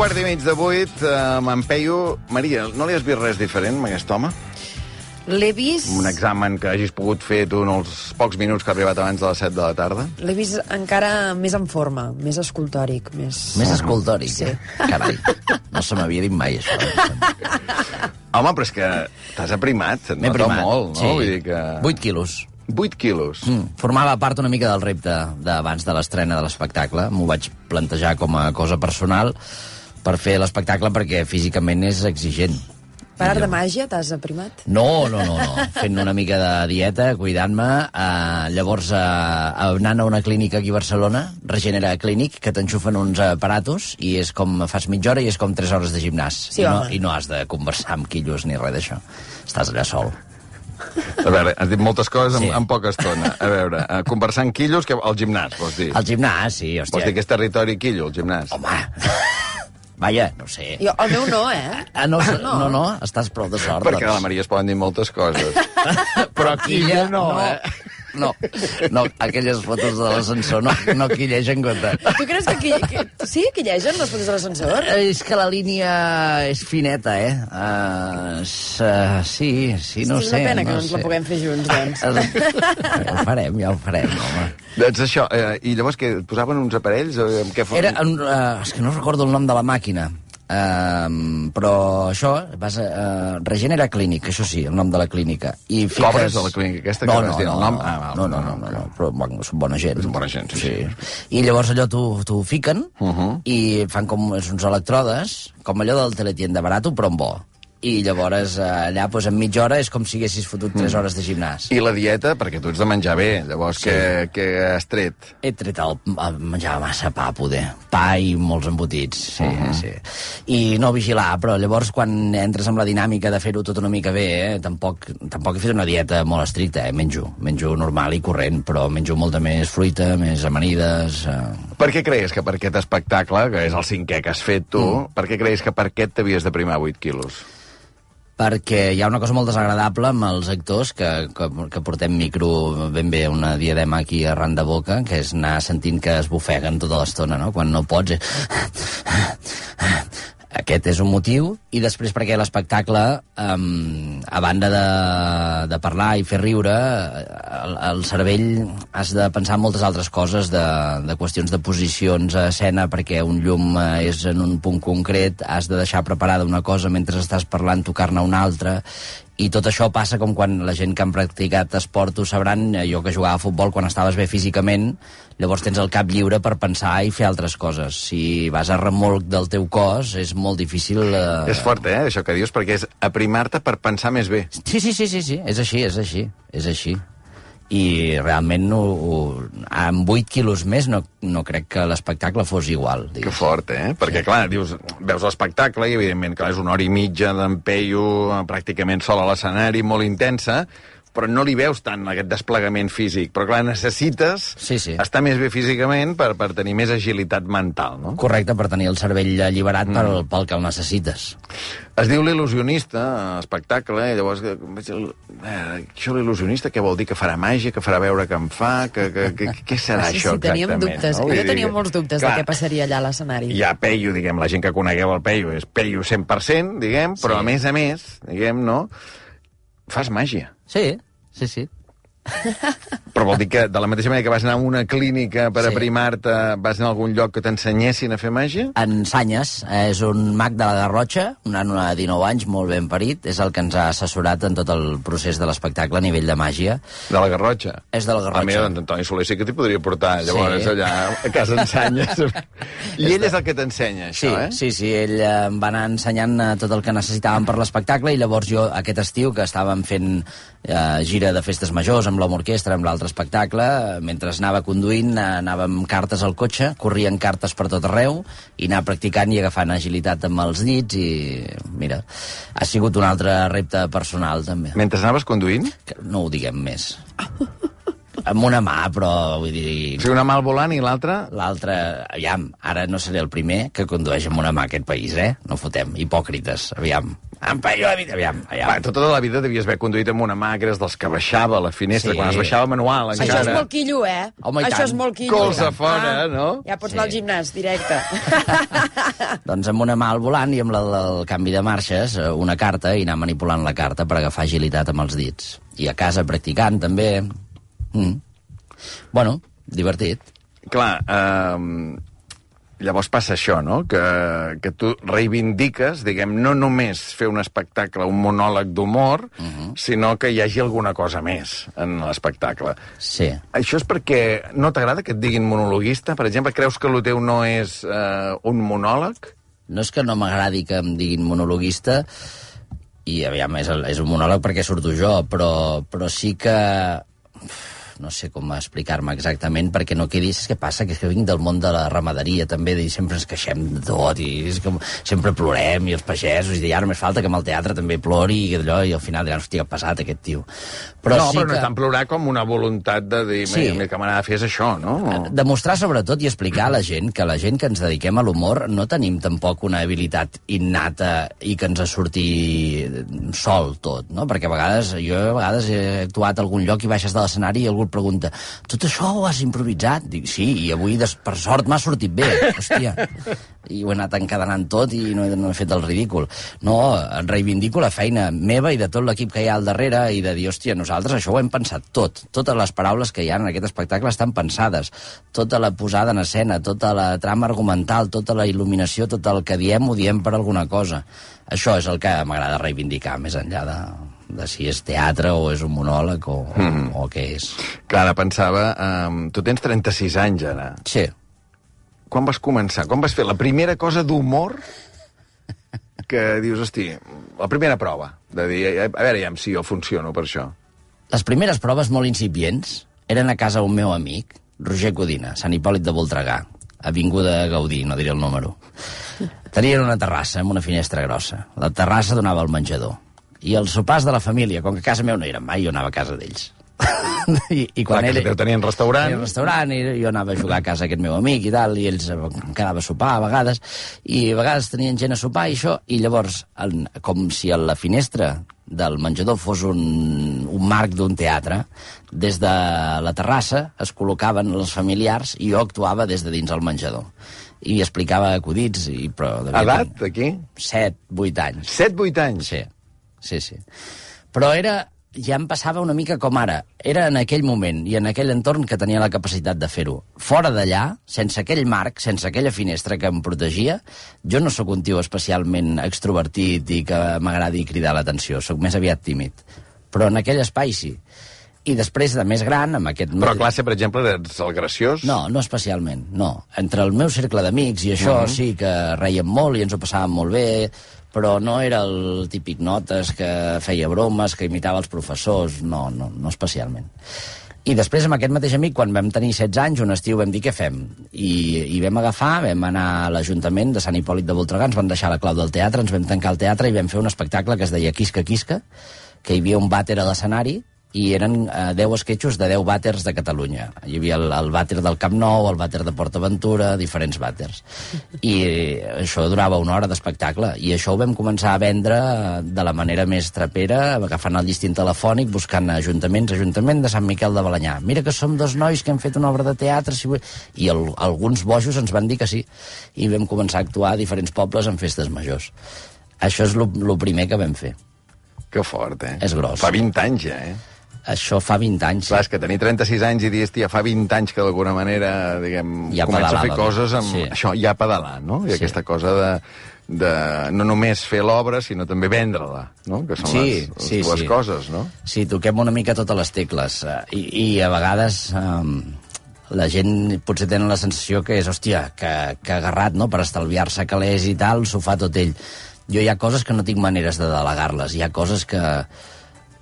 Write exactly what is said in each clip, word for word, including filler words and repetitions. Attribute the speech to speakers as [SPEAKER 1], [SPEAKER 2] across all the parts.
[SPEAKER 1] quart i mig de vuit, eh, m'empeio... Maria, no li has vist res diferent, amb aquest home?
[SPEAKER 2] L'he vist...
[SPEAKER 1] Un examen que hagis pogut fer tu en els pocs minuts que ha arribat abans de les set de la tarda?
[SPEAKER 2] L'he vist encara més en forma, més escultòric, més...
[SPEAKER 3] Més escultòric,
[SPEAKER 2] sí.
[SPEAKER 3] eh? Carai, no se m'havia dit mai, això.
[SPEAKER 1] Home, però és que t'has aprimat, se't
[SPEAKER 3] M'he
[SPEAKER 1] nota
[SPEAKER 3] primat,
[SPEAKER 1] molt, no?
[SPEAKER 3] sí.
[SPEAKER 1] Vull dir que...
[SPEAKER 3] Vuit quilos.
[SPEAKER 1] Vuit quilos.
[SPEAKER 3] Mm. Formava part una mica del repte d'abans de l'estrena de l'espectacle. M'ho vaig plantejar com a cosa personal per fer l'espectacle perquè físicament és exigent.
[SPEAKER 2] Per art de màgia t'has aprimat?
[SPEAKER 3] No, no, no, no. Fent una mica de dieta, cuidant-me. Eh, llavors, eh, anant a una clínica aquí a Barcelona, Regenera Clinic, que t'enxufen uns aparatos i és com fas mitja hora i és com tres hores de gimnàs.
[SPEAKER 2] Sí,
[SPEAKER 3] I, no,
[SPEAKER 2] home.
[SPEAKER 3] I no has de conversar amb quillos ni res d'això. Estàs allà sol.
[SPEAKER 1] A veure, has dit moltes coses
[SPEAKER 3] Sí.
[SPEAKER 1] en, en poca estona. A veure, eh, conversar en quillos, que al gimnàs, vols dir?
[SPEAKER 3] Al gimnàs, sí, hòstia.
[SPEAKER 1] Vols dir que és territori quillo, el gimnàs?
[SPEAKER 3] Home, vaja, no sé.
[SPEAKER 2] Jo, el meu no, eh?
[SPEAKER 3] Ah, no, no, no, no, estàs prou de sort.
[SPEAKER 1] Perquè a la Maria es poden dir moltes coses.
[SPEAKER 3] Però quilla
[SPEAKER 1] no,
[SPEAKER 3] no,
[SPEAKER 1] eh?
[SPEAKER 3] no, no, aquelles fotos de l'ascensor no, no quillegen gota.
[SPEAKER 2] Tu creus que, qui, que sí, quillegen les fotos de l'ascensor?
[SPEAKER 3] És que la línia és fineta, eh? Uh, uh, sí, sí, no
[SPEAKER 2] és
[SPEAKER 3] sé.
[SPEAKER 2] una pena
[SPEAKER 3] no
[SPEAKER 2] que no ens
[SPEAKER 3] sé.
[SPEAKER 2] la puguem fer junts, doncs.
[SPEAKER 3] Ja ho farem, ja ho farem, home.
[SPEAKER 1] Doncs això, eh, i llavors que posaven uns aparells? O amb què
[SPEAKER 3] Era, uh, és que no recordo el nom de la màquina. Uh, però això vas a uh, Regenera Clinic, això sí, el nom de la clínica. I fiques...
[SPEAKER 1] Cobres de la clínica aquesta?
[SPEAKER 3] No,
[SPEAKER 1] que
[SPEAKER 3] no,
[SPEAKER 1] vas dir el
[SPEAKER 3] no,
[SPEAKER 1] nom?
[SPEAKER 3] no,
[SPEAKER 1] Ah, val,
[SPEAKER 3] no, no, no, no, no, però bon, són bona gent.
[SPEAKER 1] Són bona gent, sí,
[SPEAKER 3] sí. I llavors allò t'ho fiquen
[SPEAKER 1] Uh -huh.
[SPEAKER 3] i fan com uns electrodes, com allò del teletienda barato, però en bo. I llavors allà doncs, en mitja hora és com si haguessis fotut tres hores de gimnàs.
[SPEAKER 1] I la dieta, perquè tu ets de menjar bé, llavors
[SPEAKER 3] Sí.
[SPEAKER 1] què, què has tret?
[SPEAKER 3] He tret el, el menjar massa pa, poder. Pa i molts embotits, sí, uh -huh. sí. I no vigilar, però llavors quan entres amb la dinàmica de fer-ho tot una mica bé, eh, tampoc, tampoc he fet una dieta molt estricta, eh, menjo. Menjo normal i corrent, però menjo molta més fruita, més amanides... Eh.
[SPEAKER 1] Per què creus que per aquest espectacle, que és el cinquè que has fet tu,
[SPEAKER 3] Mm.
[SPEAKER 1] per què creus que per aquest t'havies de primar vuit quilos?
[SPEAKER 3] Perquè hi ha una cosa molt desagradable amb els actors que, que, que portem micro ben bé una diadema aquí arran de boca, que és anar sentint que es bufeguen tota l'estona, no? Quan no pots... És... Aquest és un motiu, i després perquè l'espectacle, um, a banda de, de parlar i fer riure, el, el cervell has de pensar en moltes altres coses, de, de qüestions de posicions a escena, perquè un llum eh, és en un punt concret, has de deixar preparada una cosa mentre estàs parlant, tocar-ne una altra, i tot això passa com quan la gent que han practicat esport ho sabran, jo que jugava a futbol, quan estaves bé físicament, llavors tens el cap lliure per pensar i fer altres coses. Si vas a remolc del teu cos, és molt difícil... Eh...
[SPEAKER 1] És fort, eh, això que dius, perquè és aprimar-te per pensar més bé.
[SPEAKER 3] Sí, sí, sí, sí, sí, és així, és així, és així. I realment no, amb vuit quilos més no, no crec que l'espectacle fos igual.
[SPEAKER 1] Que fort, eh? Perquè, clar, dius, veus l'espectacle i, evidentment, clar, és una hora i mitja d'empeio pràcticament sol a l'escenari, molt intensa, però no li veus tant aquest desplegament físic. Però, clar, necessites
[SPEAKER 3] sí, sí.
[SPEAKER 1] estar més bé físicament per, per tenir més agilitat mental, no?
[SPEAKER 3] Correcte, per tenir el cervell alliberat mm. pel, pel que el necessites.
[SPEAKER 1] Es diu l'il·lusionista, espectacle, i llavors, eh, això l'il·lusionista, què vol dir? Que farà màgia, que farà veure que em fa, que, que, que, què serà
[SPEAKER 2] sí,
[SPEAKER 1] això
[SPEAKER 2] sí, teníem
[SPEAKER 1] exactament?
[SPEAKER 2] dubtes.
[SPEAKER 1] No?
[SPEAKER 2] Jo tenia molts dubtes
[SPEAKER 1] clar,
[SPEAKER 2] de què passaria allà a l'escenari.
[SPEAKER 1] Hi ha Peyu, diguem, la gent que conegueu el Peyu, és Peyu cent per cent, diguem, però
[SPEAKER 3] Sí.
[SPEAKER 1] a més a més, diguem, no, fas màgia.
[SPEAKER 3] Sí, sí, sí.
[SPEAKER 1] Però vol dir que, de la mateixa manera que vas anar a una clínica per
[SPEAKER 3] Sí.
[SPEAKER 1] aprimar-te, vas anar a algun lloc que t'ensenyessin a fer màgia?
[SPEAKER 3] En Sanyes és un mag de la Garrotxa, un nano de dinou anys, molt ben parit, és el que ens ha assessorat en tot el procés de l'espectacle a nivell de màgia.
[SPEAKER 1] De la Garrotxa?
[SPEAKER 3] És de la Garrotxa.
[SPEAKER 1] A mi, doncs, Antoni Soler sí que t'hi podria portar, llavors,
[SPEAKER 3] Sí.
[SPEAKER 1] allà a casa Ensanyes. I ell és el que t'ensenya,
[SPEAKER 3] Sí,
[SPEAKER 1] això, eh?
[SPEAKER 3] sí, sí, ell eh, em va anar ensenyant eh, tot el que necessitàvem per l'espectacle, i llavors jo, aquest estiu, que estàvem fent eh, gira de festes majors amb l'Home Orquestra, amb l'altre espectacle, eh, mentre anava conduint, eh, anàvem amb cartes al cotxe, corrien cartes per tot arreu, i anar practicant i agafant agilitat amb els dits, i mira, ha sigut un altre repte personal, també.
[SPEAKER 1] Mentre anaves conduint?
[SPEAKER 3] Que no ho diguem més. amb una mà, però vull dir...
[SPEAKER 1] O sigui, una mà al volant i l'altra...
[SPEAKER 3] L'altra, aviam, ara no seré el primer que condueix amb una mà aquest país, eh? No fotem, hipòcrites, aviam. Em paio la vida, aviam, aviam.
[SPEAKER 1] Va, tota la vida devies haver conduït amb una mà que eres dels que baixava a la finestra,
[SPEAKER 3] Sí.
[SPEAKER 1] quan es baixava manual,
[SPEAKER 2] Això
[SPEAKER 1] encara.
[SPEAKER 2] és molt quillo, eh?
[SPEAKER 3] Home, i
[SPEAKER 2] Això
[SPEAKER 3] tant.
[SPEAKER 2] és molt quillo.
[SPEAKER 1] Cols a fora,
[SPEAKER 2] Ah,
[SPEAKER 1] no?
[SPEAKER 2] Ja pots
[SPEAKER 3] Sí.
[SPEAKER 2] anar al gimnàs, directe.
[SPEAKER 3] Doncs amb una mà al volant i amb la, el canvi de marxes, eh, una carta, i anar manipulant la carta per agafar agilitat amb els dits. I a casa practicant, també. Mm. Bueno, divertit.
[SPEAKER 1] Clar, eh, llavors passa això, no? Que, que tu reivindiques, diguem, no només fer un espectacle, un monòleg d'humor, uh -huh. sinó que hi hagi alguna cosa més en l'espectacle.
[SPEAKER 3] Sí.
[SPEAKER 1] Això és perquè no t'agrada que et diguin monologuista? Per exemple, creus que el teu no és eh, un monòleg?
[SPEAKER 3] No és que no m'agradi que em diguin monologuista, i aviam, és, el, és un monòleg perquè surto jo, però, però sí que... no sé com explicar-me exactament, perquè no quedi... És que passa que és que vinc del món de la ramaderia, també, i sempre ens queixem de tot, i és que sempre plorem, i els pagesos, i ara només falta que amb el teatre també plori, i allò, i al final diran, hòstia, què ha passat, aquest tio.
[SPEAKER 1] Però no,
[SPEAKER 3] sí
[SPEAKER 1] però no
[SPEAKER 3] que...
[SPEAKER 1] és tant plorar com una voluntat de dir,
[SPEAKER 3] Sí.
[SPEAKER 1] sí. que m'agrada fer és això, no?
[SPEAKER 3] Demostrar, sobretot, i explicar a la gent que la gent que ens dediquem a l'humor no tenim tampoc una habilitat innata i que ens surti sol tot, no? Perquè a vegades, jo a vegades he actuat a algun lloc i baixes de l'escenari i algú et pregunta, tot això ho has improvisat? Dic, sí, i avui, des, per sort, m'ha sortit bé, hòstia. I ho he anat encadenant tot i no he, no he fet el ridícul. No, reivindico la feina meva i de tot l'equip que hi ha al darrere i de dir, hòstia, nosaltres això ho hem pensat tot. Totes les paraules que hi ha en aquest espectacle estan pensades. Tota la posada en escena, tota la trama argumental, tota la il·luminació, tot el que diem ho diem per alguna cosa. Això és el que m'agrada reivindicar, més enllà de, de si és teatre o és un monòleg o, mm. o, o què és.
[SPEAKER 1] Clar, ara pensava, um, tu tens trenta-sis anys ara.
[SPEAKER 3] Sí.
[SPEAKER 1] Quan vas començar? Quan vas fer la primera cosa d'humor que dius, hosti, la primera prova, de dir, a veure ja, si jo funciono per això.
[SPEAKER 3] Les primeres proves molt incipients eren a casa un meu amic, Roger Codina, Sant Hipòlit de Voltregà, avinguda Gaudí, no diré el número. Tenien una terrassa amb una finestra grossa. La terrassa donava al menjador. I els sopars de la família, com que a casa meu no eren mai, jo anava a casa d'ells. I, i quan
[SPEAKER 1] Clar, que
[SPEAKER 3] era...
[SPEAKER 1] tenien restaurant.
[SPEAKER 3] Tenien restaurant, i jo anava a jugar a casa aquest meu amic i tal, i ells em quedava a sopar a vegades, i a vegades tenien gent a sopar i això, i llavors, el, com si a la finestra del menjador fos un, un marc d'un teatre, des de la terrassa es col·locaven els familiars i jo actuava des de dins el menjador. I explicava acudits, i, però...
[SPEAKER 1] Edat, aquí?
[SPEAKER 3] Set, vuit anys.
[SPEAKER 1] Set, vuit anys?
[SPEAKER 3] Sí, sí, sí. Però era... ja em passava una mica com ara. Era en aquell moment i en aquell entorn que tenia la capacitat de fer-ho. Fora d'allà, sense aquell marc, sense aquella finestra que em protegia, jo no sóc un tio especialment extrovertit i que m'agradi cridar l'atenció. Sóc més aviat tímid. Però en aquell espai sí. I després, de més gran, amb aquest...
[SPEAKER 1] Però a classe, per exemple, eres el graciós?
[SPEAKER 3] No, no especialment, no. Entre el meu cercle d'amics i això uh -huh. sí que reiem molt i ens ho passàvem molt bé, però no era el típic notes que feia bromes, que imitava els professors, no, no, no especialment. I després, amb aquest mateix amic, quan vam tenir setze anys, un estiu vam dir què fem. I, i vam agafar, vam anar a l'Ajuntament de Sant Hipòlit de Voltregà, ens van deixar la clau del teatre, ens vam tancar el teatre i vam fer un espectacle que es deia Quisca Quisca, que hi havia un vàter a l'escenari, i eren eh, deu esquetxos de deu vàters de Catalunya. Hi havia el, el vàter del Camp Nou, el vàter de PortAventura, diferents vàters. I eh, això durava una hora d'espectacle. I això ho vam començar a vendre de la manera més trapera, agafant el llistint telefònic, buscant ajuntaments, Ajuntament de Sant Miquel de Balenyà. Mira que som dos nois que hem fet una obra de teatre. Si vull... I el, alguns bojos ens van dir que sí. I vam començar a actuar a diferents pobles en festes majors. Això és el primer que vam fer.
[SPEAKER 1] Que fort, eh?
[SPEAKER 3] És gros.
[SPEAKER 1] Fa vint anys, ja, eh?
[SPEAKER 3] Això fa vint anys.
[SPEAKER 1] Clar, és que tenir trenta-sis anys i dir, hòstia, fa vint anys que d'alguna manera, diguem,
[SPEAKER 3] ja
[SPEAKER 1] comença a fer
[SPEAKER 3] pedalava.
[SPEAKER 1] coses amb
[SPEAKER 3] Sí.
[SPEAKER 1] això, ja pedalant, no? I
[SPEAKER 3] Sí.
[SPEAKER 1] aquesta cosa de, de no només fer l'obra, sinó també vendre-la, no? Que són
[SPEAKER 3] Sí,
[SPEAKER 1] les, les
[SPEAKER 3] sí,
[SPEAKER 1] dues
[SPEAKER 3] sí.
[SPEAKER 1] coses, no?
[SPEAKER 3] Sí, toquem una mica totes les tecles. eh, I, i a vegades um, la gent potser tenen la sensació que és, hòstia, que, que agarrat, no?, per estalviar-se calés i tal, s'ho fa tot ell. Jo hi ha coses que no tinc maneres de delegar-les, hi ha coses que...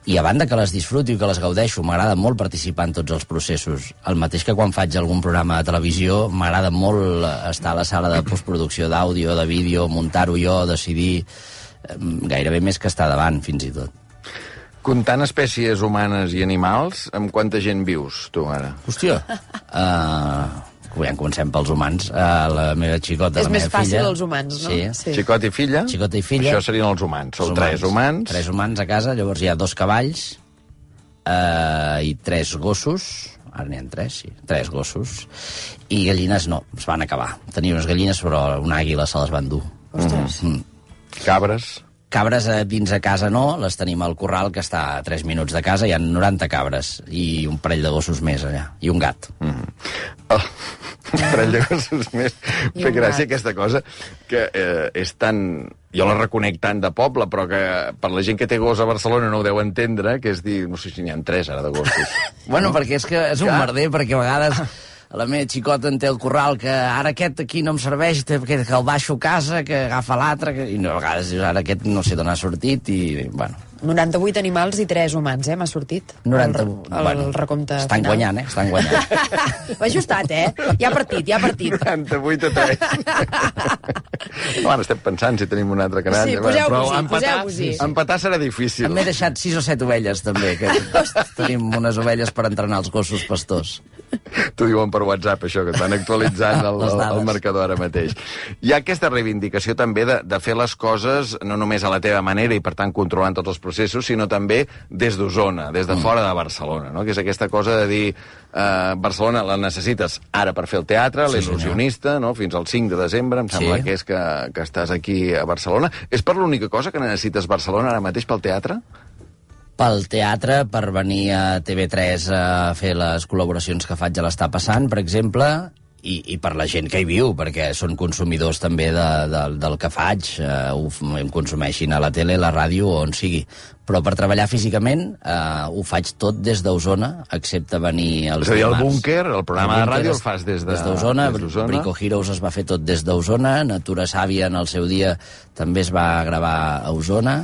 [SPEAKER 3] I a banda que les disfruto i que les gaudeixo, m'agrada molt participar en tots els processos. El mateix que quan faig algun programa de televisió, m'agrada molt estar a la sala de postproducció d'àudio, de vídeo, muntar-ho jo, decidir, eh, gairebé més que estar davant, fins i tot.
[SPEAKER 1] Comptant espècies humanes i animals, amb quanta gent vius, tu, ara?
[SPEAKER 3] Hòstia. Uh, ja comencem pels humans. Uh, la meva xicota,
[SPEAKER 2] És
[SPEAKER 3] la
[SPEAKER 2] més
[SPEAKER 3] meva
[SPEAKER 2] fàcil
[SPEAKER 3] filla...
[SPEAKER 2] els humans, no?
[SPEAKER 3] Sí.
[SPEAKER 2] Sí.
[SPEAKER 1] Xicot i filla?
[SPEAKER 3] Xicota i filla.
[SPEAKER 1] Això serien els humans. Sou
[SPEAKER 3] Els
[SPEAKER 1] tres humans.
[SPEAKER 3] Tres humans a casa, llavors hi ha dos cavalls uh, i tres gossos. Ara n'hi ha tres, sí. Tres gossos. I gallines no, es van acabar. Tenia unes gallines, però una àguila se les van dur.
[SPEAKER 2] Ostres.
[SPEAKER 3] Mm.
[SPEAKER 1] Cabres?
[SPEAKER 3] Cabres a dins a casa no, les tenim al corral, que està a tres minuts de casa, hi ha noranta cabres i un parell de gossos més allà, i un gat.
[SPEAKER 1] Mm. Oh, un parell de gossos més. Fer gràcia aquesta cosa, que eh, és tan... Jo la reconec tant de poble, però que per la gent que té gos a Barcelona no ho deu entendre, que és dir, no sé si n'hi ha tres ara de gossos.
[SPEAKER 3] Bueno, no? Perquè és que és un
[SPEAKER 1] Ja.
[SPEAKER 3] merder, perquè a vegades... La meva xicota en té el corral, que ara aquest aquí no em serveix, que el baixo a casa, que agafa l'altre, que... i no, a vegades ara aquest no sé d'on ha sortit, i bueno...
[SPEAKER 2] noranta-vuit animals i tres humans, eh? M'ha sortit.
[SPEAKER 3] noranta-vuit,
[SPEAKER 2] el, el,
[SPEAKER 3] bueno,
[SPEAKER 2] el recompte
[SPEAKER 3] estan
[SPEAKER 2] final.
[SPEAKER 3] guanyant, eh? Estan guanyant.
[SPEAKER 2] Va ajustat, eh? Hi ha partit, hi ha partit.
[SPEAKER 1] noranta-vuit a tres. Bueno, estem pensant si tenim un altre canal.
[SPEAKER 2] Sí, poseu-vos-hi,
[SPEAKER 1] però empatar,
[SPEAKER 2] poseu-vos-hi.
[SPEAKER 1] empatar serà difícil.
[SPEAKER 3] M'he deixat sis o set ovelles, també, que tenim unes ovelles per entrenar els gossos pastors.
[SPEAKER 1] T'ho diuen per WhatsApp, això, que estan actualitzant el,
[SPEAKER 3] Les
[SPEAKER 1] el,
[SPEAKER 3] dades.
[SPEAKER 1] el marcador ara mateix. Hi ha aquesta reivindicació també de, de fer les coses no només a la teva manera i, per tant, controlant tots els processos, sinó també des d'Osona, des de fora de Barcelona, no? Que és aquesta cosa de dir eh, Barcelona la necessites ara per fer el teatre,
[SPEAKER 3] Sí,
[SPEAKER 1] l'il·lusionista, no? Fins al cinc de desembre, em sembla
[SPEAKER 3] Sí.
[SPEAKER 1] que és que, que estàs aquí a Barcelona. És per l'única cosa que necessites Barcelona ara mateix pel teatre?
[SPEAKER 3] Pel teatre, per venir a T V tres a fer les col·laboracions que faig a l'Està Passant, per exemple, i, i per la gent que hi viu, perquè són consumidors també de, de, del que faig, eh, ho, em consumeixin a la tele, a la ràdio o on sigui. Però per treballar físicament eh, ho faig tot des d'Osona, excepte venir els
[SPEAKER 1] És a dir, el
[SPEAKER 3] dimarts.
[SPEAKER 1] búnquer, el programa
[SPEAKER 3] El
[SPEAKER 1] de ràdio
[SPEAKER 3] búnquer
[SPEAKER 1] el fas des de-
[SPEAKER 3] des d'Osona.
[SPEAKER 1] des d'Osona.
[SPEAKER 3] Brico Heroes es va fer tot des d'Osona, Natura Sàvia en el seu dia també es va gravar a Osona,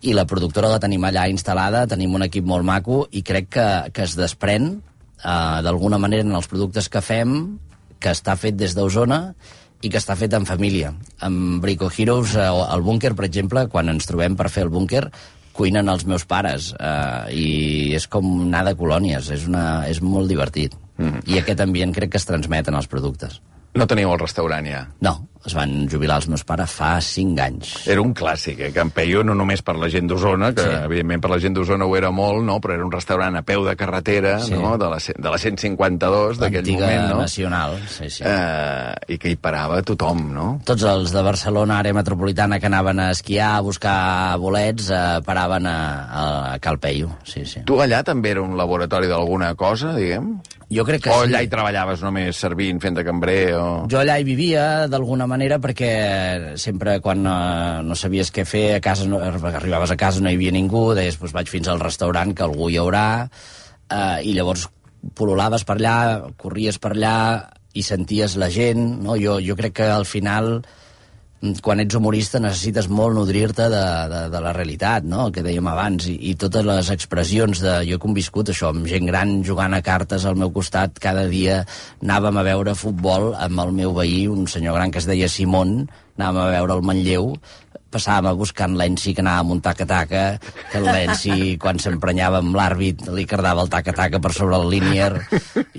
[SPEAKER 3] i la productora la tenim allà instal·lada, tenim un equip molt maco, i crec que, que es desprèn eh, d'alguna manera en els productes que fem, que està fet des d'Osona i que està fet en família. Amb Brico Heroes, eh, al búnquer, per exemple, quan ens trobem per fer el búnquer, cuinen els meus pares, eh, i és com anar de colònies, és, una, és molt divertit. Mm-hmm. I aquest ambient crec que es transmet en els productes.
[SPEAKER 1] No teniu el restaurant ja?
[SPEAKER 3] No, es van jubilar els meus pares fa cinc anys.
[SPEAKER 1] Era un clàssic, eh? Can Peio, no només per la gent d'Osona, que
[SPEAKER 3] Sí.
[SPEAKER 1] evidentment per la gent d'Osona ho era molt, no? Però era un restaurant a peu de carretera,
[SPEAKER 3] Sí.
[SPEAKER 1] no? De la, ce- de la cent cinquanta-dos d'aquell
[SPEAKER 3] L'antiga
[SPEAKER 1] moment, no?
[SPEAKER 3] nacional, sí, sí.
[SPEAKER 1] Eh, I que hi parava tothom, no?
[SPEAKER 3] Tots els de Barcelona, àrea metropolitana, que anaven a esquiar, a buscar bolets, eh, paraven a, a Cal Peio, sí, sí.
[SPEAKER 1] Tu allà també era un laboratori d'alguna cosa, diguem?
[SPEAKER 3] Jo crec que
[SPEAKER 1] O
[SPEAKER 3] sí.
[SPEAKER 1] allà hi treballaves només servint, fent de cambrer, o...
[SPEAKER 3] Jo allà hi vivia d'alguna manera perquè sempre quan eh, no sabies què fer, a casa no, arribaves a casa no hi havia ningú, deies, doncs vaig fins al restaurant que algú hi haurà, eh, i llavors pol·lolaves per allà, corries per allà i senties la gent, no? Jo, jo crec que al final, quan ets humorista, necessites molt nodrir-te de, de, de la realitat, no? El que dèiem abans, i, i totes les expressions de... Jo he conviscut això, amb gent gran jugant a cartes al meu costat, cada dia anàvem a veure futbol amb el meu veí, un senyor gran que es deia Simón, anàvem a veure el Manlleu, passàvem a buscar en l'Enci, que anava amb un taca-taca, que l'Enci, quan s'emprenyava amb l'àrbit, li cardava el taca-taca per sobre el línier,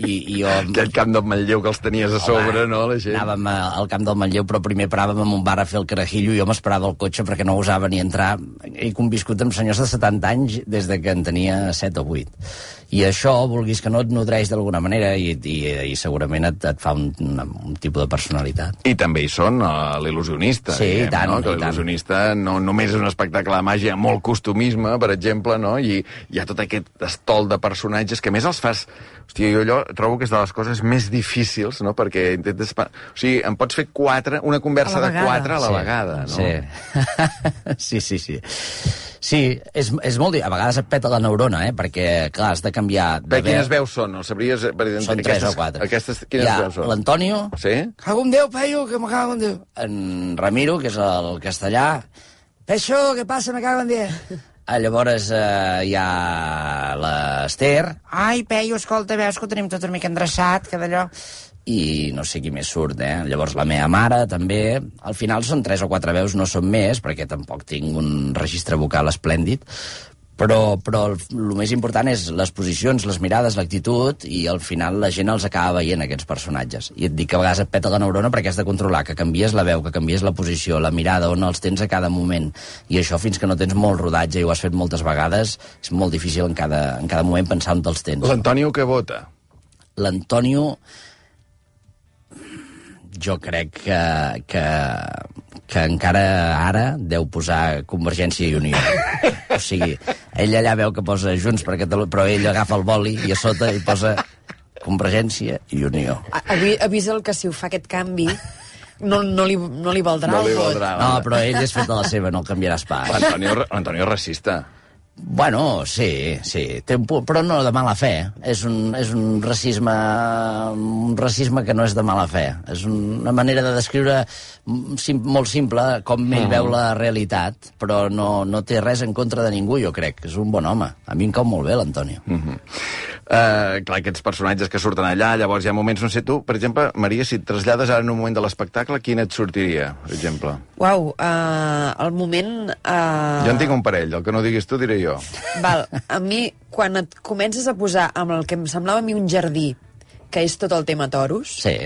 [SPEAKER 3] i, i jo...
[SPEAKER 1] Aquell camp del Manlleu que els tenies a sobre,
[SPEAKER 3] Home,
[SPEAKER 1] no, la gent?
[SPEAKER 3] Anàvem a, al camp del Manlleu, però primer paràvem en un bar a fer el carajillo i jo m'esperava al cotxe perquè no gosava ni entrar. He conviscut amb senyors de setanta anys des de que en tenia set o vuit. I això, vulguis que no, et nodreix d'alguna manera i, i, i segurament et, et fa un, un, un tipus de personalitat.
[SPEAKER 1] I també hi són uh, l'il·lusionista.
[SPEAKER 3] Sí,
[SPEAKER 1] diguem,
[SPEAKER 3] i tant,
[SPEAKER 1] no? Que
[SPEAKER 3] i tant.
[SPEAKER 1] l'il·lusionista no només és un espectacle de màgia, molt costumisme, per exemple, no? I hi ha tot aquest estol de personatges que a més els fas... Hòstia, jo allò trobo que és de les coses més difícils, no? Perquè intentes... O sigui, em pots fer quatre, una conversa de quatre a la
[SPEAKER 3] Sí,
[SPEAKER 1] vegada, no?
[SPEAKER 3] Sí, sí, sí. sí. Sí, és, és molt... A vegades et peta la neurona, eh? Perquè, clar, has de canviar... De
[SPEAKER 1] Bé, quines
[SPEAKER 3] veu-
[SPEAKER 1] veus són? No sabries... Per exemple,
[SPEAKER 3] Són tres
[SPEAKER 1] aquestes,
[SPEAKER 3] o quatre.
[SPEAKER 1] Aquestes, quines
[SPEAKER 3] Hi ha
[SPEAKER 1] veus són?
[SPEAKER 3] l'Antonio...
[SPEAKER 1] Sí?
[SPEAKER 3] Cago en Déu, Peyo, que me cago en Déu. En Ramiro, que és el castellà... Peixo, què passa, me cago en Déu. Ah, llavors eh, hi ha l'Ester. Ai, Peyo, escolta, veus que ho tenim tot una mica endreçat, que d'allò... I no sé qui més surt, eh? Llavors la meva mare, també. Al final són tres o quatre veus, no són més, perquè tampoc tinc un registre vocal esplèndid, Però, però el, el més important és les posicions, les mirades, l'actitud, i al final la gent els acaba veient, aquests personatges. I et dic que a vegades et peta la neurona perquè has de controlar que canvies la veu, que canvies la posició, la mirada, on els tens a cada moment. I això, fins que no tens molt rodatge i ho has fet moltes vegades, és molt difícil en cada, en cada moment pensar on te'ls tens.
[SPEAKER 1] L'Antonio què vota?
[SPEAKER 3] L'Antonio... Jo crec que, que, que encara ara deu posar Convergència i Unió. O sigui, ell allà veu que posa Junts per Catalunya, però ell agafa el boli i a sota hi posa Convergència i Unió.
[SPEAKER 2] Avisa'l que si ho fa aquest canvi no, no, li, no li valdrà
[SPEAKER 1] no li
[SPEAKER 2] el vot.
[SPEAKER 1] valdrà,
[SPEAKER 3] no, però ell és fet de la seva, no el canviaràs pas.
[SPEAKER 1] L'Antonio és racista.
[SPEAKER 3] Bueno, sí, sí, té un punt, però no de mala fe. És un, és un racisme un racisme que no és de mala fe. És una manera de descriure sim, molt simple com ell uh-huh. veu la realitat, però no, no té res en contra de ningú, jo crec. És un bon home. A mi em cau molt bé, l'Antonio.
[SPEAKER 1] Uh-huh. Uh, clar, aquests personatges que surten allà, llavors hi ha moments, no sé tu, per exemple, Maria, si et trasllades ara en un moment de l'espectacle, quin et sortiria, per exemple?
[SPEAKER 2] Uau, uh, el moment... Uh...
[SPEAKER 1] Jo en tinc un parell, el que no diguis tu diré jo.
[SPEAKER 2] Val, a mi, quan et comences a posar amb el que em semblava a mi un jardí, que és tot el tema toros,
[SPEAKER 3] sí.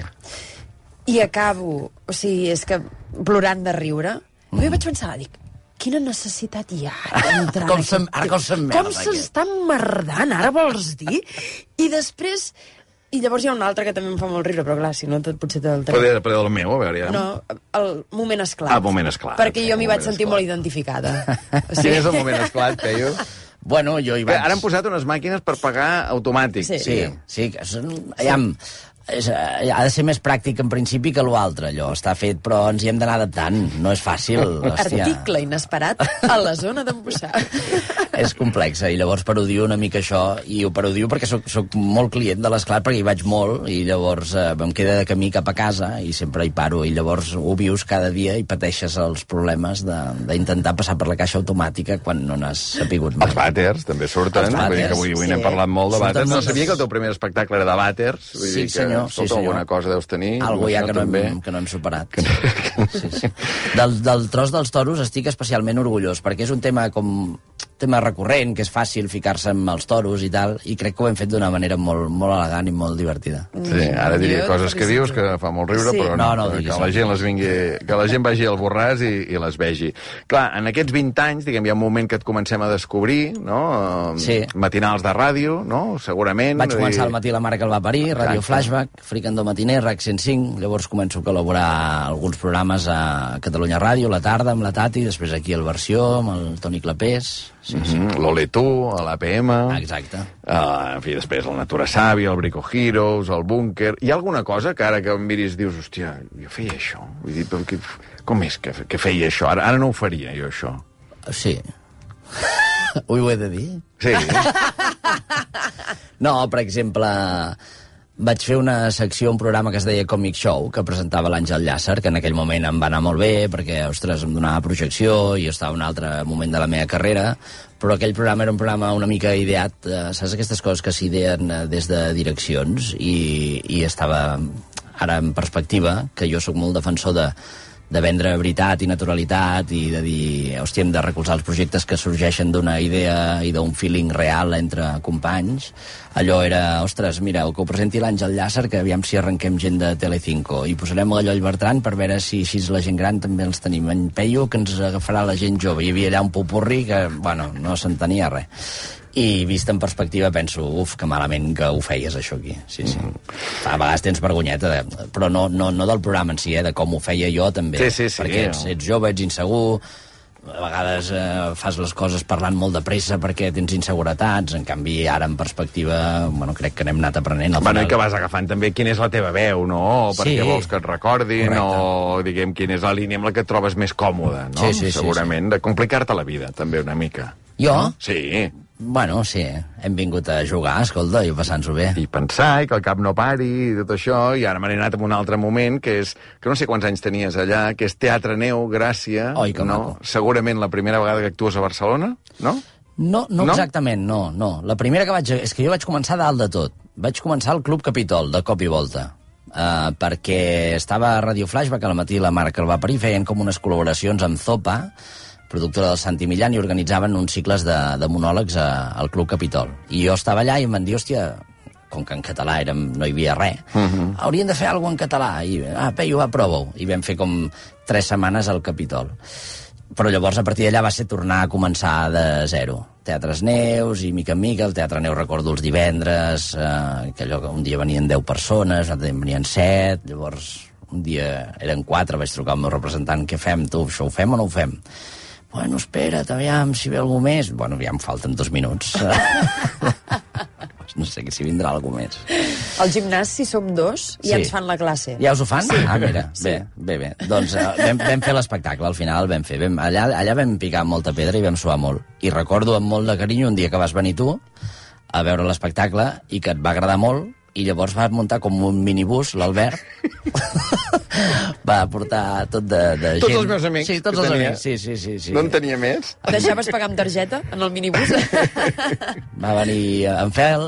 [SPEAKER 2] i acabo, o sigui, és que plorant de riure, mm. jo vaig pensar, dic, quina necessitat hi ha d'entrar
[SPEAKER 3] com se'n ara com s'emmerda.
[SPEAKER 2] Com s'està emmerdant, ara vols dir? I després... I llavors hi ha un altre que també em fa molt riure, però clar, si no, tot, potser te'l trec.
[SPEAKER 1] Poder, poder el meu, a veure, ja.
[SPEAKER 2] No, el moment esclat.
[SPEAKER 1] Ah, moment esclat.
[SPEAKER 2] Perquè jo m'hi vaig sentir esclat. molt identificada.
[SPEAKER 1] O sigui, és el moment esclat, Peyu?
[SPEAKER 3] Bueno, jo hi vaig...
[SPEAKER 1] Ara han posat unes màquines per pagar automàtic.
[SPEAKER 3] Sí, sí, sí. Són... Aviam, és, ha de ser més pràctic en principi que l'altre, allò. Està fet, però ens hi hem d'anar adaptant. No és fàcil. Hòstia.
[SPEAKER 2] Article inesperat a la zona d'embossar.
[SPEAKER 3] És complex, i llavors parodio una mica això, i ho parodio perquè soc, soc molt client de l'Esclat, perquè hi vaig molt, i llavors eh, em queda de camí cap a casa, i sempre hi paro, i llavors ho vius cada dia i pateixes els problemes d'intentar passar per la caixa automàtica quan no n'has sapigut mai.
[SPEAKER 1] Els vàters també surten, vull dir que avui, avui sí. n'hem parlat molt de vàters. No sabia que el teu primer espectacle era de vàters, vull
[SPEAKER 3] sí,
[SPEAKER 1] dir que
[SPEAKER 3] senyor,
[SPEAKER 1] escolta,
[SPEAKER 3] sí, senyor.
[SPEAKER 1] alguna cosa deus tenir.
[SPEAKER 3] Algú ja que no, hem, que no hem superat. Sí, sí. Del, del tros dels toros estic especialment orgullós, perquè és un tema com tema recurrent, que és fàcil ficar-se amb els toros i tal, i crec que ho hem fet d'una manera molt, molt elegant i molt divertida.
[SPEAKER 1] Sí, ara diria coses que dius que fa molt riure, sí. però no,
[SPEAKER 3] no, no
[SPEAKER 1] que, la gent les vingui, que la gent vagi al Borràs i, i les vegi. Clar, en aquests vint anys, diguem, hi ha un moment que et comencem a descobrir, no?
[SPEAKER 3] Sí.
[SPEAKER 1] Matinals de ràdio, no? Segurament.
[SPEAKER 3] Vaig començar al matí la mare que el va parir, Ràdio
[SPEAKER 1] Exacte.
[SPEAKER 3] Flashback, Fricandó Matiner, RAC cent cinc, llavors començo a col·laborar alguns programes a Catalunya Ràdio, la tarda, amb la Tati, després aquí al Versió, amb el Toni Clapés... Sí, sí.
[SPEAKER 1] Mm -hmm. L'Ole Tu, a l'A P M...
[SPEAKER 3] Exacte.
[SPEAKER 1] Uh, en fi, després el Natura Sàvia, el Brico Heroes, el Búnquer... Hi ha alguna cosa que ara que em miris dius, hòstia, jo feia això? Vull dir, però que, com és que, que feia això? Ara, ara no ho faria, jo, això.
[SPEAKER 3] Sí. Ui, ho he de dir?
[SPEAKER 1] Sí.
[SPEAKER 3] No, per exemple... Vaig fer una secció, un programa que es deia Comic Show, que presentava l'Àngel Llàcer, que en aquell moment em va anar molt bé, perquè, ostres, em donava projecció, i jo estava en un altre moment de la meva carrera, però aquell programa era un programa una mica ideat, eh, saps aquestes coses que s'ideen eh, des de direccions, i, i estava ara en perspectiva, que jo sóc molt defensor de de vendre veritat i naturalitat i de dir, hòstia, hem de recolzar els projectes que sorgeixen d'una idea i d'un feeling real entre companys. Allò era, ostres, mira, que ho presenti l'Àngel Llàcer, que aviam si arrenquem gent de Telecinco, i posarem allò al Bertran per veure si així la gent gran també els tenim. En Peyu, que ens agafarà la gent jove. Hi havia allà un popurri que, bueno, no s'entenia res. I vist en perspectiva penso, uf, que malament que ho feies, això aquí. Sí, sí. Mm. A vegades tens vergonyeta, de, però no, no, no del programa en si, eh, de com ho feia jo, també.
[SPEAKER 1] Sí, sí, sí.
[SPEAKER 3] Perquè ets, ets jove, ets insegur, a vegades eh, fas les coses parlant molt de pressa perquè tens inseguretats, en canvi, ara en perspectiva, bueno, crec que n'hem anat aprenent. Al
[SPEAKER 1] bueno,
[SPEAKER 3] final...
[SPEAKER 1] i que vas agafant també quina és la teva veu, no? Per
[SPEAKER 3] sí.
[SPEAKER 1] què vols que et recordin,
[SPEAKER 3] Correcte.
[SPEAKER 1] o, diguem, quina és la línia amb la que et trobes més còmode, no?
[SPEAKER 3] Sí, sí,
[SPEAKER 1] segurament,
[SPEAKER 3] sí, sí.
[SPEAKER 1] de complicar-te la vida, també, una mica.
[SPEAKER 3] Jo?
[SPEAKER 1] No? Sí.
[SPEAKER 3] Bueno, sí, hem vingut a jugar, escolta, i passant-s'ho bé.
[SPEAKER 1] I pensar, i que el cap no pari, i tot això, i ara m'he anat en un altre moment, que és, que no sé quants anys tenies allà, que és Teatre Neu, Gràcia,
[SPEAKER 3] Oi, que
[SPEAKER 1] no?
[SPEAKER 3] maco.
[SPEAKER 1] Segurament la primera vegada que actues a Barcelona, no?
[SPEAKER 3] No, no,
[SPEAKER 1] No?
[SPEAKER 3] exactament, no, no. La primera que vaig... És que jo vaig començar dalt de tot. Vaig començar al Club Capitol, de cop i volta. Uh, perquè estava a Ràdio Flashback, al matí la mare que el va parir, feien com unes col·laboracions amb Zopa, productora del Santi Millán, i organitzaven uns cicles de, de monòlegs a, al Club Capitol. I jo estava allà i em van dir, hòstia, com que en català érem, no hi havia res, uh -huh. haurien de fer alguna cosa en català. I, ah, Peyu, va, prova-ho. I vam fer com tres setmanes al Capitol. Però llavors, a partir d'allà, va ser tornar a començar de zero. Teatres Neus, i mica en mica, el Teatre Neus recordo els divendres, eh, que allò que un dia venien deu persones, un altre dia venien set, llavors un dia eren quatre, vaig trucar al meu representant, què fem, tu, això ho fem o no ho fem? Bueno, espera't, aviam, si ve algú més. Bueno, ja em falten dos minuts. No sé si vindrà algú més.
[SPEAKER 2] Al gimnàs, si som dos, ja sí. ens fan la classe.
[SPEAKER 3] Ja us ho fan?
[SPEAKER 2] Sí.
[SPEAKER 3] Ah, mira,
[SPEAKER 2] sí.
[SPEAKER 3] bé, bé, bé. Doncs uh, vam, vam fer l'espectacle, al final vam fer. Vam, allà, allà vam picar molta pedra i vam suar molt. I recordo amb molt de carinyo un dia que vas venir tu a veure l'espectacle i que et va agradar molt, i llavors va muntar com un minibús, l'Albert, va portar tot de, de
[SPEAKER 1] tots
[SPEAKER 3] gent.
[SPEAKER 1] Els meus amics.
[SPEAKER 3] Sí, tots els
[SPEAKER 1] tenia.
[SPEAKER 3] amics. Sí, sí, sí, sí.
[SPEAKER 1] No en tenia més?
[SPEAKER 2] Deixaves pagar amb targeta en el minibús?
[SPEAKER 3] Va venir en Fel,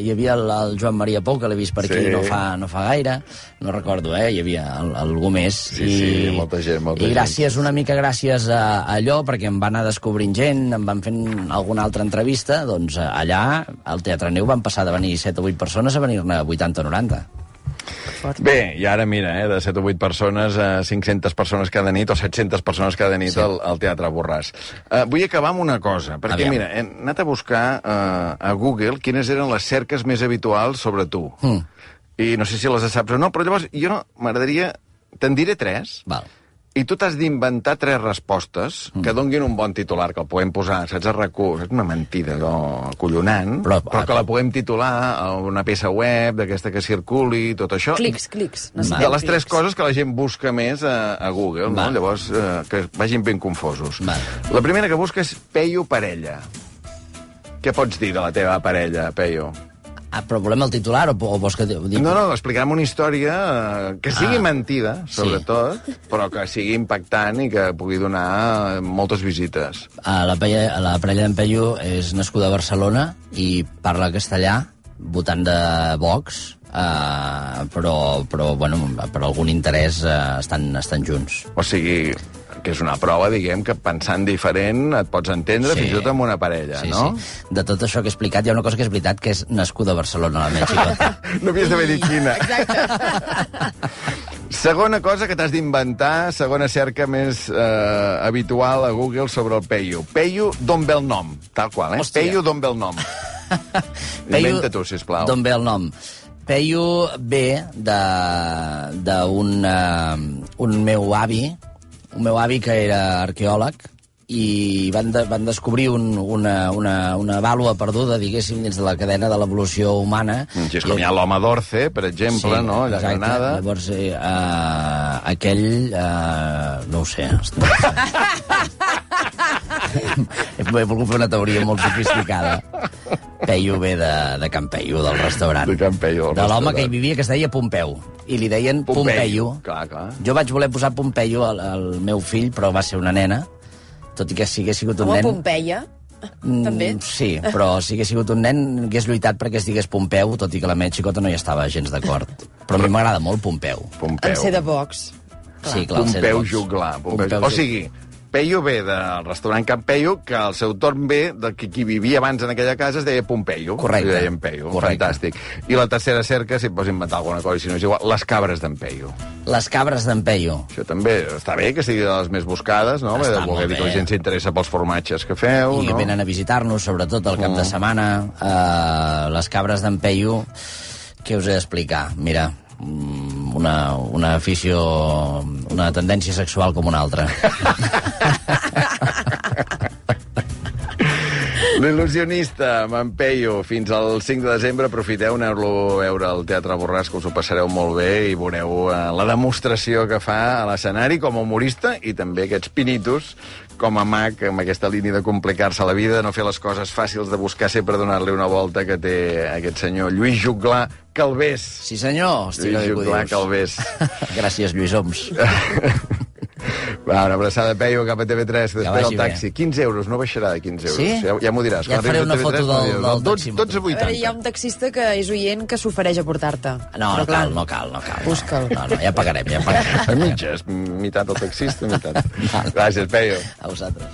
[SPEAKER 3] hi havia el, el Joan Maria Pou, que l'he vist per aquí sí. no, fa, no fa gaire, no recordo, eh? Hi havia el, algú més.
[SPEAKER 1] Sí,
[SPEAKER 3] i,
[SPEAKER 1] sí, molta gent, molta
[SPEAKER 3] I gràcies,
[SPEAKER 1] gent.
[SPEAKER 3] una mica gràcies a, a allò, perquè em va anar descobrint gent, em van fent alguna altra entrevista, doncs allà, al Teatre Neu, van passar de venir set o vuit persones a venir-ne vuitanta o noranta.
[SPEAKER 1] Bé, i ara mira, eh, de set o vuit persones a cinc-centes persones cada nit o set-centes persones cada nit sí. al, al Teatre Borràs. Uh, vull acabar amb una cosa, perquè Aviam. mira, he anat a buscar uh, a Google quines eren les cerques més habituals sobre tu. Mm. I no sé si les saps o no, però llavors jo no, m'agradaria... Te'n diré tres.
[SPEAKER 3] Val.
[SPEAKER 1] I tu t'has d'inventar tres respostes mm. que donguin un bon titular, que el podem posar, saps, a RAC1, saps, una mentida no, acollonant, però, però que la podem titular a una peça web, d'aquesta que circuli, tot això.
[SPEAKER 2] Clics, clics.
[SPEAKER 1] De les clics. Tres coses que la gent busca més a, a Google, no? Llavors, eh, que vagin ben confosos. Val. La primera que busca és Peyu parella. Què pots dir de la teva parella, Peyu?
[SPEAKER 3] Ah, però volem el titular o, o vols que... Dic...
[SPEAKER 1] No, no, explicarem una parella eh, que sigui ah, mentida, sobretot, sí. però que sigui impactant i que pugui donar moltes visites.
[SPEAKER 3] Ah, la, parella, la parella d'en Peyu és nascuda a Barcelona i parla castellà, votant de Vox, eh, però, però, bueno, per algun interès eh, estan, estan junts.
[SPEAKER 1] O sigui... que és una prova, diguem, que pensant diferent et pots entendre sí. fins i tot amb una parella,
[SPEAKER 3] sí,
[SPEAKER 1] no?
[SPEAKER 3] Sí. De tot això que he explicat, hi ha una cosa que és veritat, que és nascuda a Barcelona, la meva xicota.
[SPEAKER 1] No havies d'haver dit quina.
[SPEAKER 2] Exacte.
[SPEAKER 1] Segona cosa que t'has d'inventar, segona cerca més eh, habitual a Google sobre el Peyu. Peyu, d'on ve el nom? Tal qual, eh?
[SPEAKER 3] Hòstia.
[SPEAKER 1] Peyu, d'on ve el nom? Inventa tu, sisplau.
[SPEAKER 3] D'on ve el nom? Peyu ve d'un uh, un meu avi, un meu avi que era arqueòleg, i van, de, van descobrir un, una, una, una vàlua perduda, diguéssim, dins de la cadena de l'evolució humana.
[SPEAKER 1] Mm, és com hi ha l'home d'Orce, per exemple, sí, no? Allà a Granada.
[SPEAKER 3] Llavors, eh, uh, aquell... Uh, no ho sé. He volgut fer una teoria molt sofisticada. Peyu ve de, de Can Peyu, del restaurant.
[SPEAKER 1] De Can Peyu,
[SPEAKER 3] de l'home que hi vivia, que es deia Pompeu. I li deien Pompeio. Pompeio.
[SPEAKER 1] Clar, clar.
[SPEAKER 3] Jo vaig voler posar Pompeio al, al meu fill, però va ser una nena, tot i que si hagués sigut un
[SPEAKER 2] Com
[SPEAKER 3] nen...
[SPEAKER 2] Com Pompeia, també?
[SPEAKER 3] Mm, sí, però si hagués sigut un nen, hagués lluitat perquè es digués Pompeu, tot i que la meva xicota no hi estava gens d'acord. Però a mi m'agrada molt Pompeu.
[SPEAKER 1] Pompeu.
[SPEAKER 2] En ser de Vox.
[SPEAKER 3] Sí, clar,
[SPEAKER 1] Pompeu Juglar. Pompeu... Pompeu... O sigui, Peyu ve del restaurant Can Peyu, que al seu torn ve de qui, qui vivia abans en aquella casa es deia Pompeio.
[SPEAKER 3] Correcte.
[SPEAKER 1] Li deien Peyu.
[SPEAKER 3] Correcte.
[SPEAKER 1] Fantàstic. I la tercera cerca, si et pots inventar alguna cosa, si no és igual, les cabres d'en Peyu.
[SPEAKER 3] Les cabres d'en Peyu.
[SPEAKER 1] Això també està bé, que sigui de les més buscades, no?
[SPEAKER 3] Està
[SPEAKER 1] Voler dir que la gent s'interessa pels formatges que feu,
[SPEAKER 3] I
[SPEAKER 1] no?
[SPEAKER 3] venen a visitar-nos, sobretot el cap
[SPEAKER 1] Mm.
[SPEAKER 3] de setmana. Uh, les cabres d'en Peyu, què us he d'explicar? Mira, una, una afició, una tendència sexual com una altra.
[SPEAKER 1] L'il·lusionista, amb en Peyu, fins al cinc de desembre. Aprofiteu, aneu-lo a veure al Teatre Borràs, que us ho passareu molt bé i veureu eh, la demostració que fa a l'escenari com a humorista i també aquests pinitos com a mag, amb aquesta línia de complicar-se la vida, de no fer les coses fàcils, de buscar sempre donar-li una volta que té aquest senyor Lluís Juglar Calvés.
[SPEAKER 3] Sí, senyor.
[SPEAKER 1] Lluís Juglar Calvés.
[SPEAKER 3] Gràcies, Lluís Oms.
[SPEAKER 1] Va, una abraçada, Peyu, cap a T V tres, que després
[SPEAKER 3] vagi
[SPEAKER 1] el taxi.
[SPEAKER 3] bé.
[SPEAKER 1] quinze euros, no baixarà de quinze euros.
[SPEAKER 3] Sí?
[SPEAKER 1] Ja, ja m'ho diràs.
[SPEAKER 3] Ja
[SPEAKER 1] Quan
[SPEAKER 3] faré
[SPEAKER 1] arribis a
[SPEAKER 3] una foto
[SPEAKER 1] T V tres,
[SPEAKER 3] del-
[SPEAKER 1] m'ho diràs.
[SPEAKER 3] del
[SPEAKER 1] dotze,
[SPEAKER 3] taxi.
[SPEAKER 1] dotze
[SPEAKER 2] A veure, hi ha
[SPEAKER 1] vuitanta.
[SPEAKER 2] un taxista que és oient que s'ofereix a portar-te.
[SPEAKER 3] No,
[SPEAKER 2] Però
[SPEAKER 3] no
[SPEAKER 2] clar,
[SPEAKER 3] cal, no cal, no cal. No.
[SPEAKER 2] Busca'l.
[SPEAKER 3] No, no, ja pagarem, ja pagarem.
[SPEAKER 1] A mitges, meitat el taxista, meitat. Gràcies, Peyu.
[SPEAKER 3] A vosaltres.